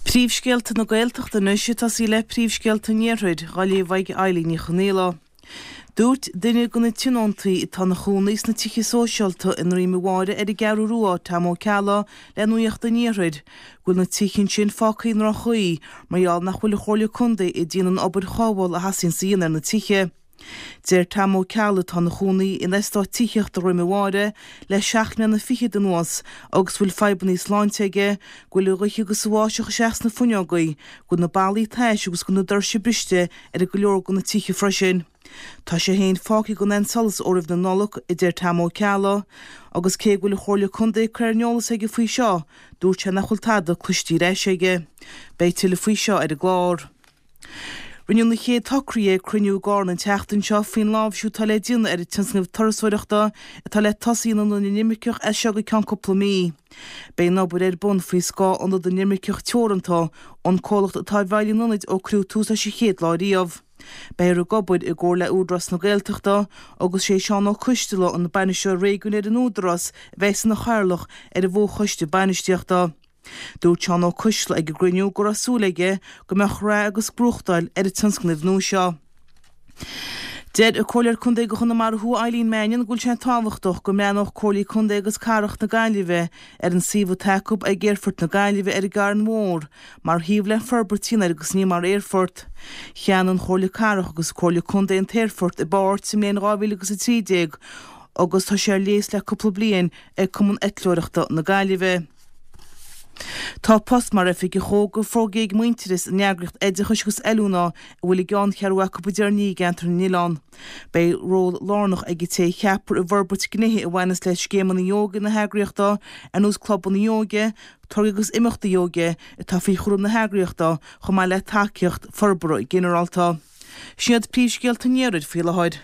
Príomhscéalta na Gaeltachta anois ag tosaí le príomhscéalta an Iarthair, dhá léamh ag Eilín Ní Chonaola. Dúirt duine de na tionóntaí atá ina chónaí sna tithe sóisialta i nDroim a' Bháire ar an gCeathrú Rua, Tom Ó Ceallaigh, le Nuacht an Iarthair, go bhfuil na tithe ansin fágtha i ndroch-chaoi mar gheall nach bhfuil an Chomhairle Contae ag déanamh an obair chothabhála a theastaíonns a dhéanamh ar na tithe. Deir Tom Ó Ceallaigh, atá ina chónaí in eastát tithíochta Dhroim a' Bháire le seacht mbliana fichead anuas agus a bhfuil fadhbanna sláinte aige, go bhfuil an ghaoth agus an bháisteach isteach sna fuinneogaí, go bhfuil na ballaí tais agus go bhfuil na doirse briste ar go leor de na tithe freisin. Tá sé féin fágtha gan aon solas ó roimh na Nollag, a deir Tom Ó Ceallaigh, agus cé go bhfuil an Chomhairle Contae curtha ar an eolas aige faoi seo, dúirt sé nach bhfuil tada cloiste ar ais aige. Beidh tuilleadh faoi seo ar an gclár. Rinneadh na chéad socruithe ag cruinniú i gCarna an tseachtain seo faoin láimhsiú atá le déanamh ar an tionscnamh turasóireachta atá le tosaí in Ionad na nImirceach as seo go ceann cúpla mí. Beidh an obair ar bun faoi scáth Ionad na nImirceach Teoranta, an comhlacht atá i bhfeighil an ionaid ó cuireadh tús leis an chéad lá riamh. Beifear ag obair i gcomhar le Údarás na Gaeltachta agus sé Seán Ó Coisteala, an Bainisteoir Réigiúin ar an Údarás, a bheas ina chathaoirleach ar an bhfo-choiste bainistíochta. Dúirt Seán Ó Coisteala ag an gcruinniú go raibh súil aige go mbeadh rath agus gnóthachtáil ar an tionscnamh nua seo. Deir an Comhairleoir Contae do Chonamara Thuaidh Eileen Mannion go bhfuil sé tábhachtach go mbreathnódh Comhairlí Contae agus Cathrach na Gaillimhe ar an suíomh atá acu ag Aerfort na Gaillimhe ar an gCarn Mhór mar shuíomh le forbairt a dhéanamh air agus ní mar aerfort. Cheannaigh an Chomhairle Cathrach agus an Comhairle Contae an t-aerfort i bpáirt sa mbliain 2013 agus tá sé ar léas le cúpla bliain ag Cumann Eitleoireachta na Gaillimhe. Tá post mar Oifigeach Óige fógartha ag Muintearas, an eagraíocht oideachais agus oiliúna a bhfuil a gceanncheathrú acu i dTír an Fhia i gCeantar na nOileán. Beidh ról lárnach ag an té a cheapfar i bhforbairt gnéithe a bhaineas le scéimeanna óige na heagraíochta ar nós clubanna óige, tograí agus imeachtaí óige atá faoi chúram na heagraíochta chomh maith le tacaíocht forbartha ginearálta. Sin iad príomhscéalta an iarthair faoi láthair.